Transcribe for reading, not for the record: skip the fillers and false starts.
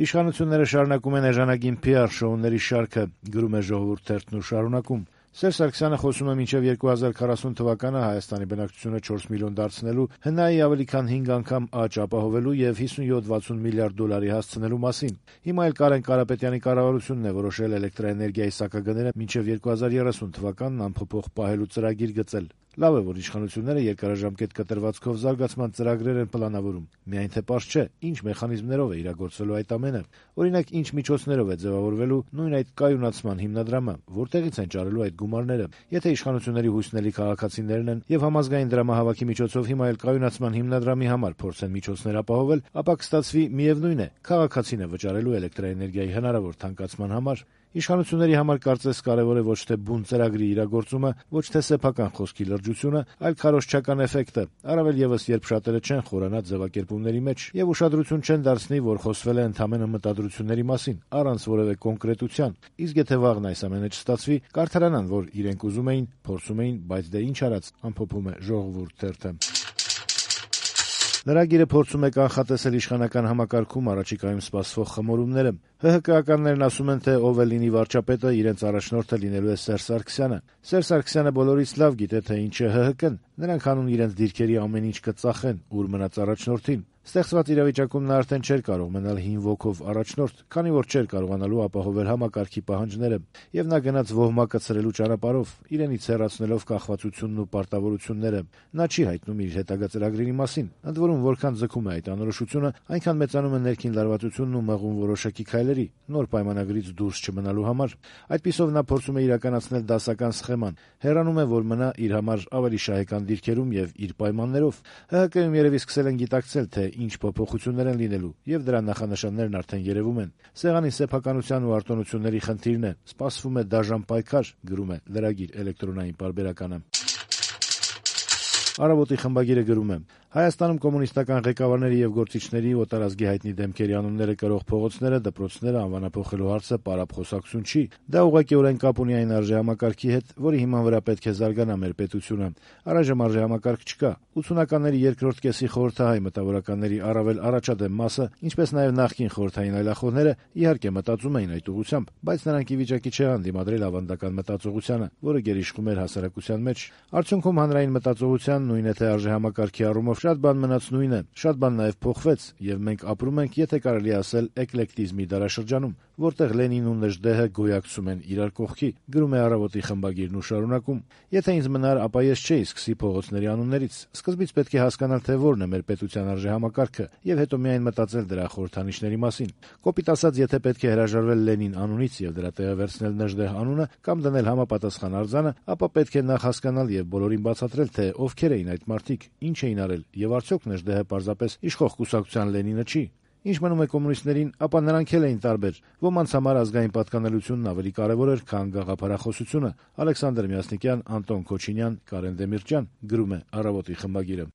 Իշխանությունները շարունակում են էժանագին PR շոուների շարքը, գրում է Ժողովուրդ թերթն ու շարունակում. Սերժ Սարգսյանը խոսում է մինչև 2040 թվականը Հայաստանի բնակչությունը 4 միլիոն դարձնելու, ՀՆԱ-ի ավելի քան 5 անգամ աճ ապահովելու եւ 57-60 միլիարդ դոլարի հասցնելու մասին։ Հիմա էլ Կարեն Կարապետյանի կառավարությունն է որոշել էլեկտրաէներգիայի սակագները մինչև 2030 թվականն անփոփոխ պահելու ծրագիր գծել։ Լավ է, որ իշխանությունները երկարաժամկետ կտրվածքով զարգացման ծրագրեր են պլանավորում, միայն թե պարզ չէ, ինչ մեխանիզմներով է իրագործվելու այդ ամենը, օրինակ ինչ միջոցներով է ձևավորվելու նույն այդ կայունացման հիմնադրամը, որտեղից են ճարելու այդ գումարները։ Եթե իշխանությունների հույսնելի քաղաքացիներն են եւ համազգային դրամահավաքի միջոցով հիմա էլ կայունացման հիմնադրամի համար փորձեն միջոցներ ապահովել, ապա կստացվի միևնույն է, քաղաքացին է վճարելու էլեկտրաէներգիայի հնարավոր թանկացման համար։ Իշխանությունների համար կարծես կարևոր է ոչ թե բուն ծրագրի իրագործումը, ոչ թե սեփական խոսքի լրջությունը, այլ քարոզչական էֆեկտը, առավել եւս երբ շատերը չեն խորանա ձևակերպումների մեջ եւ ուշադրություն չեն դարձնի, որ խոսվել է ընդհանրապես մտադրությունների մասին, առանց որևէ կոնկրետության։ Իսկ եթե վաղն այս ամենը չստացվի, կարդարանան, որ իրենք ուզում էին, փորձում էին, բայց դե ինչ արած, ամփոփում է Ժողովուրդ թերթը։ Լրագիրը փորձում է կանխատեսել իշխանական համակարգում առաջիկայում սպասվող խմորումները։ ՀՀԿ-ականներն ասում են, թե ով է լինի վարչապետը, իրենց առաջնորդը լինելու է Սերժ Սարգսյանը։ Սերժ Սարգսյանը բոլորից լավ գիտե, թե ինչ է ՀՀԿ-ն։ Նրանք հանուն իրենց դիրքերի ամեն ինչ կծախեն, ուր մնաց առաջնորդին։ Ստեղծված իրավիճակում նա արդեն չէր կարող մնալ հին ոգով առաջնորդ, քանի որ չէր կարողանալու ապահովել համակարգի պահանջները, եւ նա գնաց ոհմակը ցրելու ճանապարհով, իրենից հեռացնելով կախվածությունն ու պարտավորությունները։ Նա չի հայտնում իր հետագա ծրագրերի մասին։ Ընդ որում, որքան ձգում է այդ անորոշությունը, այնքան մեծանում է ներքին լարվածությունն ու մղում որոշակի քայլերի, նոր պայմանագրից դուրս չմնալու համար։ Այդպիսով նա փորձում է իրականացնել դասական սխեման, հեռանում է, որ մնա իր համար ավելի շահեկան դիրքերում եւ իր պայմաններով։ ՀՀԿ-ում երևի սկսել են գիտակցել, թե ինչ փոփոխություններ են լինելու, եւ դրա նախանշաններն արդեն երևում են։ Սեղանի սեփականության ու արտոնությունների խնդիրն է, սպասվում է դաժան պայքար, գրում է Լրագիր էլեկտրոնային պարբերականը։ Առավոտի խմբագիրը գրում է. Հայաստանում կոմունիստական ղեկավարների եւ գործիչների օտարազգի հայտնի դեմքերի անունները կրող փողոցները, դպրոցները անվանափոխելու հարցը պարապ խոսակցություն չի։ Դա ուղղակիորեն կապ ունի այն արժեհամակարգի հետ, որի հիման վրա պետք է զարգանա մեր պետությունը։ Առայժմ արժեհամակարգ չկա։ 80-ականների երկրորդ կեսի խորհրդահայ մտավորականների առավել առաջադեմ մասը, ինչպես նաեւ նախկին խորհրդային այլախոհները, իհարկե մտածում էին այդ ուղղությամբ, բայց նրանք ի վիճակի չեղան դիմադրել ավանդական մտածողությանը, որը գերիշխում էր հասարակության մեջ։ Արդյունքում հանրային մտածողության նույն է թե արժեհամակարգի առումով շատ բան մնաց նույնը, շատ բան նաև փոխվեց, եւ մենք ապրում ենք, եթե կարելի ասել, էկլեկտիզմի դարաշրջանում, որտեղ Լենինն ու Նժդեհը գոյակցում են իրար կողքի, գրում է Առավոտի խմբագիրն ու շարունակում. Եթե ինձ մնար, ապա ես չէի սկսի փողոցների անուններից։ Սկզբից պետք է հասկանալ, թե որն է մեր պետության արժեհամակարգը, եւ հետո միայն մտածել դրա խորհրդանիշների մասին։ Կոպիտ ասած, եթե պետք է հրաժարվել Լենին անունից եւ դրա տեղը վերցնել Նժդեհ անունը կամ դնել համապատասխան արձանը, ապա պետք է նախ հասկանալ եւ բոլորին բացատրել, թե ովքեր էին այդ մարդիկ, ինչ էին արել, եւ արդյոք Նժդեհը պարզապես իշխող կուսակցության Լենինը չի։ Ինչ մնում է կոմունիստներին, ապա նրանք էլ էին տարբեր։ Ոմանց համար ազգային պատկանելությունն ավելի կարևոր էր, քան գաղափարախոսությունը։ Ալեքսանդր Մյասնիկյան, Անտոն Քոչինյան, Կարեն Դեմիրճյան, գրում է Առավոտի խմբագիրը։